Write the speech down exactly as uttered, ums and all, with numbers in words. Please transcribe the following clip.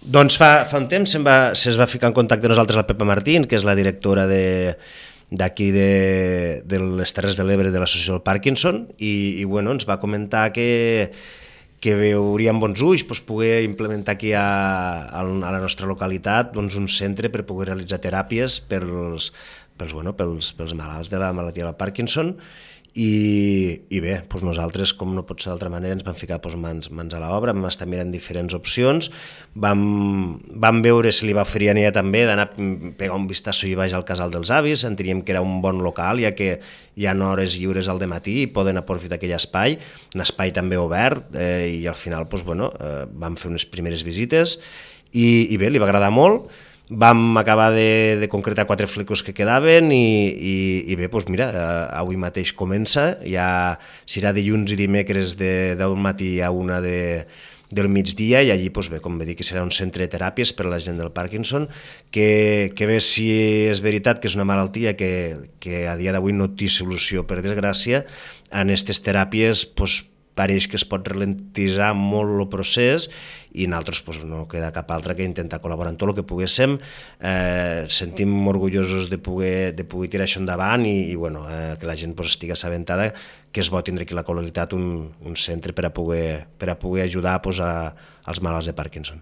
Doncs fa, fa un temps se'n va, se'ns va ficar en contacte amb nosaltres la Pepa Martín, que és la directora de d'aquí de, de les Terres de l'Ebre de l'associació del Parkinson, i, i bueno, ens va comentar que, que veuríem bons ulls doncs, poder implementar aquí a, a la nostra localitat doncs, un centre per poder realitzar teràpies pels, pels, bueno, pels, pels malalts de la malaltia del Parkinson. I, i bé, doncs nosaltres, com no pot ser d'altra manera, ens vam ficar doncs, mans, mans a l'obra, vam estar mirant diferents opcions, vam, vam veure si li va oferir a ella també d'anar a pegar un vistazo i baix al Casal dels Avis, enteníem que era un bon local, ja que hi ha hores lliures al dematí i poden aprofitar aquell espai, un espai també obert, eh, i al final doncs, bueno, eh, vam fer unes primeres visites i, i bé, li va agradar molt. Vam acabar de, de concretar quatre flecos que quedaven i, i, i bé, doncs mira, avui mateix comença, ja serà dilluns i dimecres de deu del matí a una de, del migdia i allí, doncs bé, com bé dic, serà un centre de teràpies per a la gent del Parkinson, que, que bé si és veritat que és una malaltia que, que a dia d'avui no té solució, per desgràcia, en aquestes teràpies doncs, pareix que es pot ralentitzar molt el procés i nosaltres doncs, no queda cap altra que intentar col·laborar en tot el que poguéssim. Eh, sentim orgullosos de poder, de poder tirar això endavant i, i bueno, eh, que la gent doncs, estigui assabentada que és bo tindre aquí a la localitat un, un centre per a poder, per a poder ajudar doncs, a, als malalts de Parkinson.